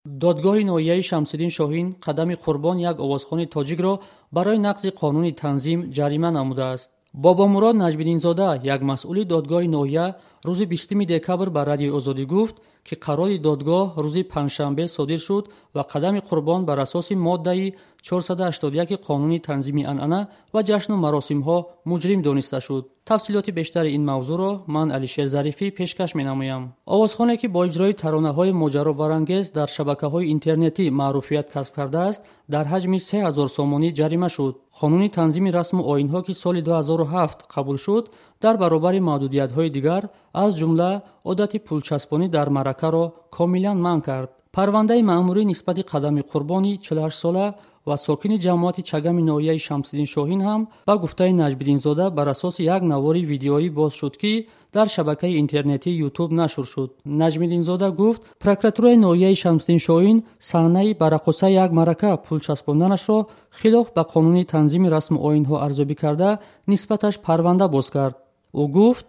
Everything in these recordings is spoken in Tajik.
Додгоҳи ноҳияи Шамсиддин Шоҳин Қадами Қурбон, як овозхони тоҷикро, барои нақзи қонуни танзим ҷарима намудааст. Бобомурод Наҷмиддинзода, як масъули додгоҳи ноҳия, рӯзи 20 декабр ба Радиои Озодӣ гуфт, ки қарори додгоҳ рӯзи панҷшанбе содир шуд ва Қадами Қурбон бар асоси моддаи 481 қонуни танзими анъана ва ҷашну маросимҳо муҷрим дониста шуд. Тафсилоти бештари ин мавзӯъро ман, Алишер Зарифӣ, пешкаш менамоям. Овозхоне, ки бо иҷрои таронаҳои моҷаробарангез дар шабакаҳои интернетӣ маъруфият касб кардааст, дар ҳаҷми 3000 сомонӣ ҷарима шуд. Қонуни танзими расму оинҳо, ки соли 2007 қабул шуд, дар баробари маҳдудиятҳои дигар, аз ҷумла одати пулчаспонӣ дар маъракаро комилан манъ кард. Парвандаи маъмурӣ нисбати Қадами Қурбони 48сола ва сокини ҷамоати Чагами ноҳияи Шамсиддин Шоҳин ҳам, ба гуфтаи Наҷмиддинзода, бар асоси як навори видеоӣ боз шуд, ки дар шабакаи интернетии Ютуб нашр шуд. Наҷмиддинзода гуфт, прокуратураи ноҳияи Шамсиддин Шоҳин саҳнаи ба раққосаи як маърака пул часпонданашро хилоф ба қонуни танзими расму оинҳо арзёбӣ карда, нисбаташ парванда боз кард. Ӯ гуфт: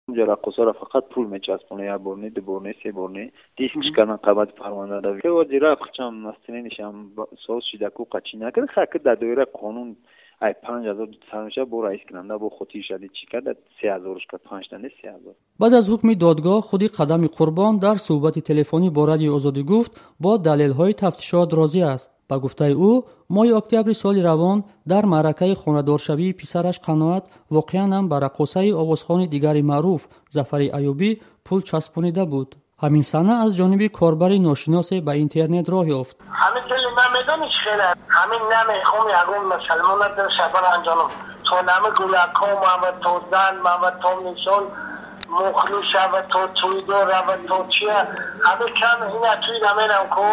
Унҷа раққосаро фақат пул мечаспонад, як бор не, ду бор не, се бор не, дискш кардан қабати парванда. Ҳозира настроениешам соз шида ку, қачӣ накард, хаки дар доираи қонун ай 5000 сар мешавад, бо раис кунанда бо хотир шади чӣ кард, 3000-ш кард, панҷта не, 3000. Баъд аз ҳукми додгоҳ худи Қадами Қурбон дар суҳбати телефонӣ бо Радиои Озодӣ гуфт, бо далелҳои тафтишот розӣ аст. Ба гуфтаи ӯ, моҳи октябри соли равон дар маъракаи хонадоршавии писараш Қаноат воқеан ҳам ба раққосаи овозхони дигари маъруф Зафари Аюбӣ пул часпонида буд. Ҳамин саҳна аз ҷониби корбари ношиносе ба интернет роҳ ёфт. Ҳамин дили ман медонӣ чӣ хеле, ҳамин намехом ягон мусалмона дилша баранҷонам, то нами гулакҳо мава, то зан мава, то мисол мухлис шава, то тӯйдор рава, то чия, ҳамин кам ина тӯй намерам ку,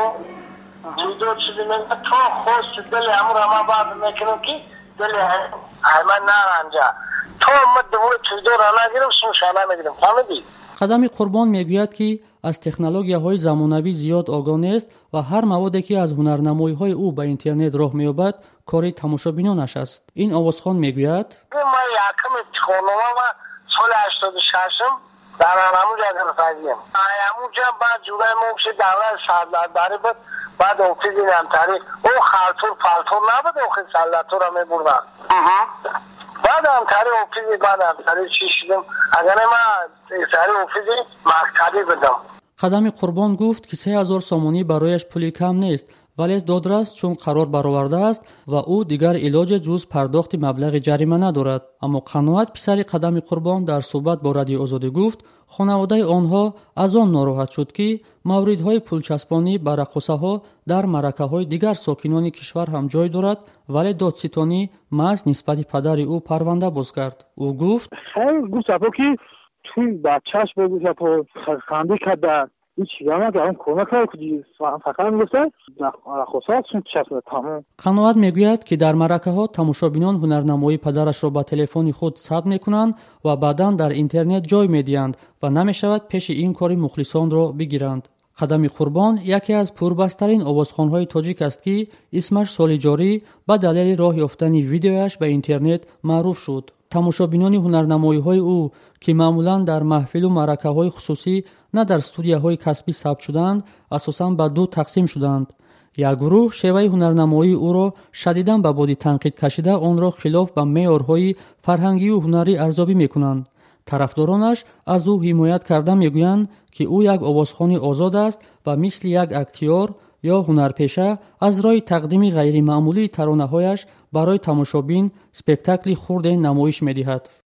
тӯйдор чизе мега, то хости дили ҳамура ман баъд мекунам, ки дили ай ман наранҷа, то ма дувои тӯйдора нагирам, сумша намегирам, фаҳмидӣ? Қадами Қурбон мегӯяд, ки аз технологияҳои замонавӣ зиёд огоҳ нест ва ҳар маводе, ки аз ҳунарнамоиҳои ӯ ба интернет роҳ меёбад, кори тамошобинонаш аст. Ин овозхон мегӯяд: Ман якум ибтихорнома соли 86-ум дар ҳамунҷа гирифтагием. Ҳамунҷа баъд ҷураи мо ши давраи сардарбарӣ буд, баъд офизи намтарӣ ӯ халтур палтур набуд, охи саллатура мебурданд. Баъд ҳамтари офизи, баъд ҳамтари чӣ шудем, агар ман тари офизи мактабӣ будам. Қадами Қурбон гуфт, ки 3000 сомонӣ барояш пули кам нест, вале додрас чун қарор баровардааст ва ӯ дигар илоҷе ҷуз пардохти маблағи ҷарима надорад. Аммо Қаноат, писари Қадами Қурбон, дар суҳбат бо Радиои Озодӣ гуфт, хонаводаи онҳо аз он нороҳат шуд, ки мавридҳои пулчаспонӣ ба раққосаҳо дар маъракаҳои дигар сокинони кишвар ҳам ҷой дорад, вале додситонӣ маҳз нисбати падари ӯ парванда боз кард. Ӯ гуфт: Хайр, гуфт апо, ки туй бачааш бо гуфт апо хандӣ карда, ҳеҷ чиза кор накард, фақат мегуфта раққоса сум часпида, тамом. Қаноат мегӯяд, ки дар маъракаҳо тамошобинон ҳунарнамоии падарашро ба телефони худ сабт мекунанд ва баъдан дар интернет ҷой медиҳанд ва намешавад пеши ин кори мухлисонро бигиранд. Қадами Қурбон яке аз пурбастарин овозхонҳои тоҷик аст, ки исмаш соли ҷорӣ ба далели роҳ ёфтани видеояш ба интернет маъруф шуд. Тамошобинони ҳунарнамоиҳои ӯ, ки маъмулан дар маҳфилу маъракаҳои хусусӣ, на дар студияҳои касбӣ сабт шудаанд, асосан ба ду тақсим шуданд. Як гурӯҳ шеваи ҳунарнамоии ӯро шадидан ба боди танқид кашида, онро хилоф ба меъёрҳои фарҳангию ҳунарӣ арзёбӣ мекунанд. Тарафдоронаш аз ӯ ҳимоят карда мегӯянд, ки ӯ як овозхони озод аст ва мисли як актёр ё ҳунарпеша аз роҳи тақдими ғайримаъмулии таронаҳояш барои тамошобин спектакли хурде намоиш медиҳад.